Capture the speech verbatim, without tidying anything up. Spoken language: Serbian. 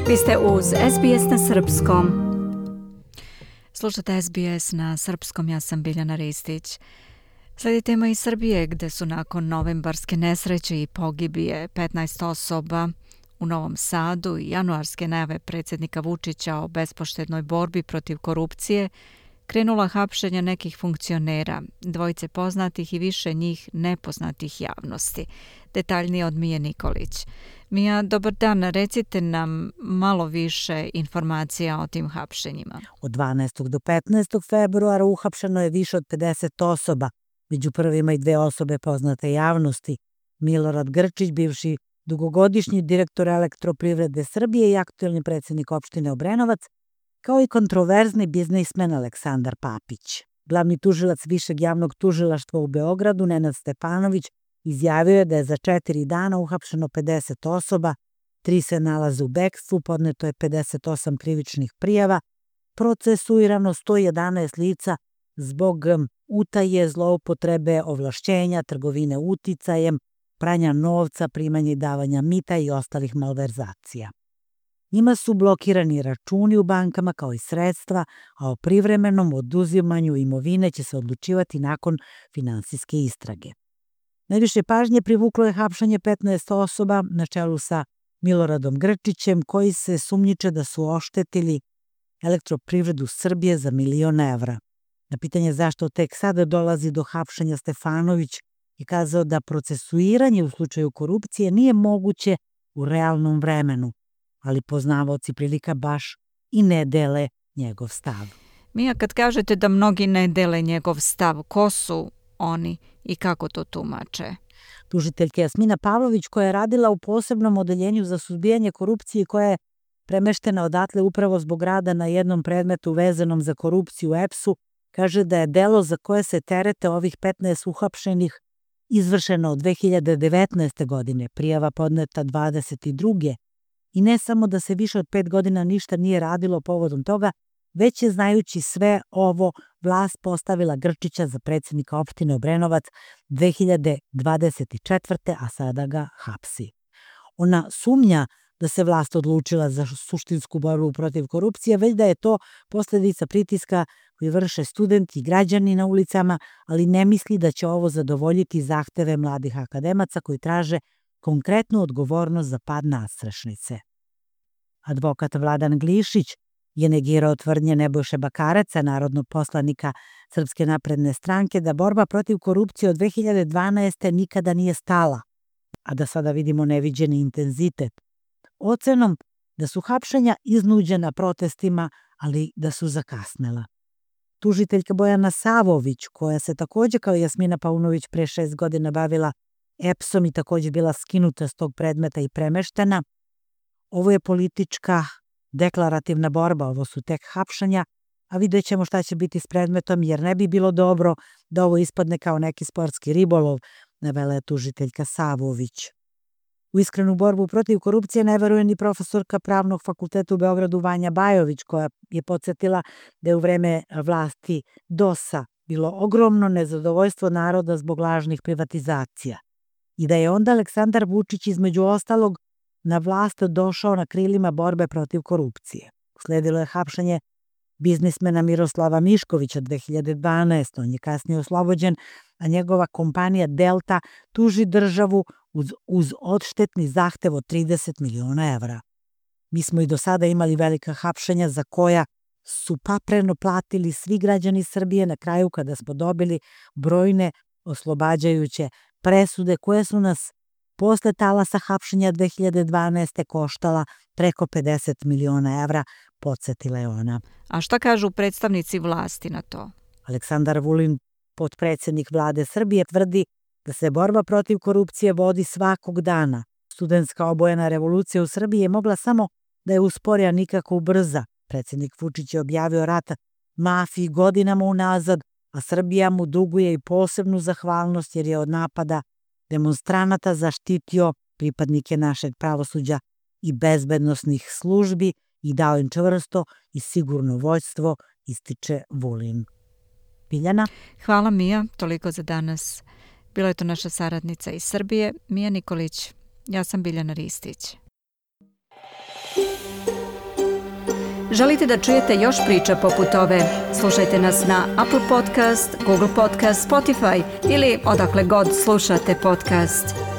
Vi ste uz S B S na srpskom. Slušate S B S na srpskom, ja sam Biljana Ristić. Slijedi tema iz Srbije, gde su nakon novembarske nesreće i pogibije petnaest osoba u Novom Sadu i januarske najave predsjednika Vučića o bespoštednoj borbi protiv korupcije, krenula hapšenja nekih funkcionera, dvojice poznatih i više njih nepoznatih javnosti. Detaljnije od Mije Nikolić. Mija, dobar dan, recite nam malo više informacija o tim hapšenjima. Od dvanaestog do petnaestog februara uhapšeno je više od pedeset osoba, među prvima i dve osobe poznate javnosti. Milorad Grčić, bivši dugogodišnji direktor Elektroprivrede Srbije i aktuelni predsjednik opštine Obrenovac, kao i kontroverzni biznismen Aleksandar Papić. Glavni tužilac Višeg javnog tužilaštva u Beogradu, Nenad Stepanović, izjavio je da je za četiri dana uhapšeno pedeset osoba, tri se nalaze u bekstvu, podneto je pedeset osam krivičnih prijava, procesuirano sto jedanaest lica zbog utaje, zloupotrebe, ovlašćenja, trgovine uticajem, pranja novca, primanja i davanja mita i ostalih malverzacija. Njima su blokirani računi u bankama kao i sredstva, a o privremenom oduzimanju imovine će se odlučivati nakon finansijske istrage. Najviše pažnje privuklo je hapšanje petnaest osoba na čelu sa Miloradom Grčićem, koji se sumnjiče da su oštetili Elektroprivredu Srbije za milion evra. Na pitanje zašto tek sada dolazi do hapšenja, Stefanović je kazao da procesuiranje u slučaju korupcije nije moguće u realnom vremenu, ali poznavaoci prilika baš i ne dele njegov stav. Mija, kad kažete da mnogi ne dele njegov stav, ko su oni i kako to tumače? Tužiteljka Jasmina Pavlović, koja je radila u posebnom odeljenju za suzbijanje korupcije i koja je premeštena odatle upravo zbog rada na jednom predmetu vezanom za korupciju u E P S-u, kaže da je delo za koje se terete ovih petnaest uhapšenih izvršeno od dve hiljade devetnaeste. godine, prijava podneta dvadeset druge. I ne samo da se više od pet godina ništa nije radilo povodom toga, već je, znajući sve ovo, vlast postavila Grčića za predsjednika opštine Obrenovac dve hiljade dvadeset četvrte. a sada ga hapsi. Ona sumnja da se vlast odlučila za suštinsku borbu protiv korupcije, već da je to posljedica pritiska koji vrše studenti i građani na ulicama, ali ne misli da će ovo zadovoljiti zahteve mladih akademaca koji traže konkretnu odgovornost za pad nadstrešnice. Advokat Vladan Glišić je negirao tvrdnje Nebojše Bakareca, narodnog poslanika Srpske napredne stranke, da borba protiv korupcije od dve hiljade dvanaeste. nikada nije stala, a da sada vidimo neviđeni intenzitet. Ocenom da su hapšenja iznuđena protestima, ali da su zakasnela. Tužiteljka Bojana Savović, koja se također kao Jasmina Paunović pre šest godina bavila E P S-om i također bila skinuta s tog predmeta i premeštena, ovo je politička deklarativna borba, ovo su tek hapšanja, a vidjet ćemo šta će biti s predmetom, jer ne bi bilo dobro da ovo ispadne kao neki sportski ribolov, navela je tužiteljka Savović. U iskrenu borbu protiv korupcije ne veruje ni profesorka Pravnog fakulteta u Beogradu Vanja Bajović, koja je podsjetila da je u vreme vlasti D O S-a bilo ogromno nezadovoljstvo naroda zbog lažnih privatizacija i da je onda Aleksandar Vučić između ostalog na vlast došao na krilima borbe protiv korupcije. Usledilo je hapšenje biznismena Miroslava Miškovića dve hiljade dvanaeste. On je kasnije oslobođen, a njegova kompanija Delta tuži državu uz, uz odštetni zahtev od trideset miliona evra. Mi smo i do sada imali velika hapšenja za koja su papreno platili svi građani Srbije na kraju kada smo dobili brojne oslobađajuće presude koje su nas posle talasa hapšenja dve hiljade dvanaeste. koštala preko pedeset miliona evra, podsjetila je ona. A šta kažu predstavnici vlasti na to? Aleksandar Vulin, potpredsjednik vlade Srbije, tvrdi da se borba protiv korupcije vodi svakog dana. Studentska obojena revolucija u Srbiji je mogla samo da je uspori, a nikako ubrza. Predsjednik Vučić je objavio rat mafiji godinama unazad, a Srbija mu duguje i posebnu zahvalnost jer je od napada demonstranata zaštitio pripadnike našeg pravosuđa i bezbednosnih službi i dao im čvrsto i sigurno vođstvo, ističe Vulin. Biljana? Hvala Mija, toliko za danas. Bila je to naša saradnica iz Srbije, Mija Nikolić. Ja sam Biljana Ristić. Želite da čujete još priča poput ove? Slušajte nas na Apple Podcast, Google Podcast, Spotify ili odakle god slušate podcast.